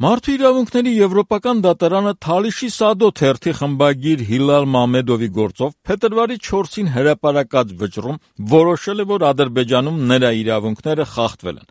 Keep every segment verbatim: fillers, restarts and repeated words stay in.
Մարդու իրավունքների եվրոպական դատարանը Թալիշի Սադո թերթի խմբագիր Հիլալ Մամեդովի գործով փետրվարի չորսին հրապարակած վճռում որոշել է, որ Ադրբեջանում նրա իրավունքները խախտվել են։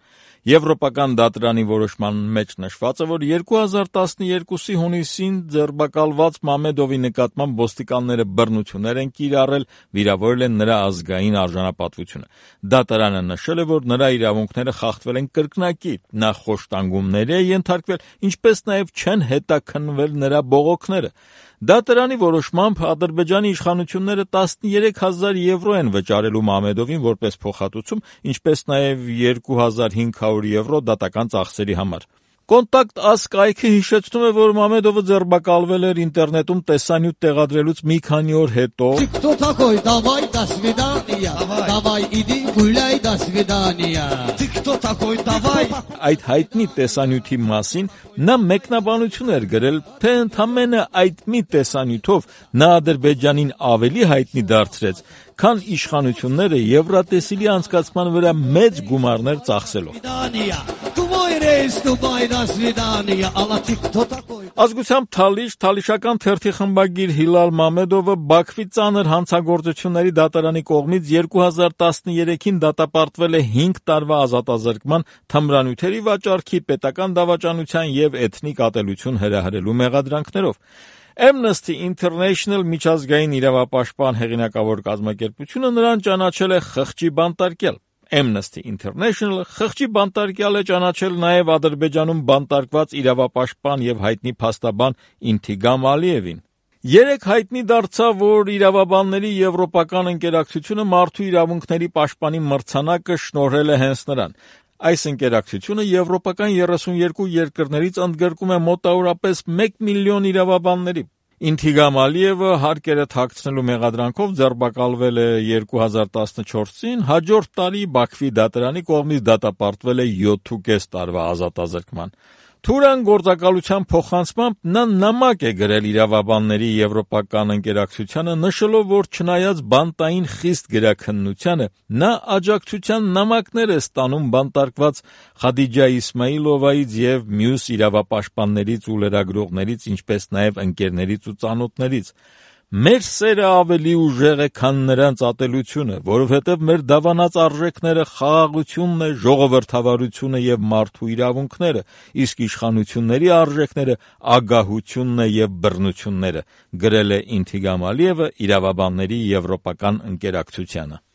Եվրոպական դատարանի որոշման մեջ նշված է, որ երկու հազար տասնյոթի հունիսին ձերբակալված Մամեդովի նկատմամբ ոստիկանները բռնություններ են կիրառել, վիրավորել են նրա ազգային արժանապատվությունը։ Դատարանը նշել է, որ նրա իրավունքները խախտվել են կրկնակի, նա խոշտանգումների է ենթարկվել, ինչպես նաև չեն հետաքննվել նրա բողոքները։ Դատարանի որոշմամբ Ադրբեջանի իշխանությունները տասնյոթ հազար եվրո են վճարելու Մամեդովին որպես փոխհատուցում, ինչպես նաև երկու հազար հինգ հարյուր եվրո դատական ծախսերի համար։ Կոնտակտ Աս կայքը հիշեցնում է, որ Մամեդովը ձերբակալվել էր ինտերնետում տեսանյութ տեղադրելուց մի քանի օր հետո։ Այդ հայտնի տեսանյութի մասին նա մեկնաբանություն էր գրել, թե ընդամենը այդ մի տեսանյութով նա Ադրբեջանին ավելի հայտնի դարձրեց, քան իշխանությունները Եվրատեսիլի անցկացման վրա մեծ գումարներ ծախսելով։ Ազգությամբ Թալիշ, թալիշական թերթի խմբագիր Հիլալ Մամեդովը Բաքվի ծանր հանցագործությունների դատարանի կողմից երկու հազար տասնյոթին դատապարտվել է հինգ տարվա ազատազրկման, թմրանյութերի վաճառքի, պետական դավաճանության և էթնիկ ատելություն հրահրելու մեղադրանքներով։ Amnesty International միջազգային իրավապաշտպան հեղինակավոր կազմակերպությունը նրան ճանաչել է խղճի բանտարկյալ։ Amnesty International խղճի բանտարկյալ է ճանաչել նաև Ադրբեջանում բանտարկված իրավապաշտպան և հայտնի փաստաբան Ինթիգամ Ալիևին։ Երեկ հայտնի դարձավ, որ իրավաբանների եվրոպական ընկերակցությունը մարդու իրավունքների պաշտպանի մրցանակը շնորհել է հենց նրան։ Այս ընկերակցությունը եվրոպական երեսունյոթ երկրներից ընդգրկում է մոտավորապես մեկ միլիոն իրավաբանների։ Ինթիգամ Ալիևը հարկերը թաքցնելու մեղադրանքով ձերբակալվել է երկու հազար տասնչորսին, հաջորդ տարի Բաքվի դատարանի կողմից դատապարտվել է յոթ տարվա ազատազրկման։ Թուրան գործակալության փոխանցմամբ նա նամակ է գրել իրավաբանների եվրոպական ընկերակցությանը, նշելով, որ չնայած բանտային խիստ գրաքննությանը, նա աջակցության նամակներ է ստանում բանտարկված Խադիջա Իսմայիլովայից և մյուս իրավապաշտպաններից ու լրագրողներից, ինչպես նաև ընկերներից ու ծանոթներից։ Մեր սերը ավելի ուժեղ է, քան նրանց ատելությունը, որովհետև մեր դավանած արժեքները խաղաղությունն է, ժողովրդավարությունը և մարդու իրավունքները, իսկ իշխանությունների արժեքները ագահությունն է և բռնությունները, գրել է Ինթիգամ Ալիևը իրավաբանների եվրոպական ընկերակցությանը։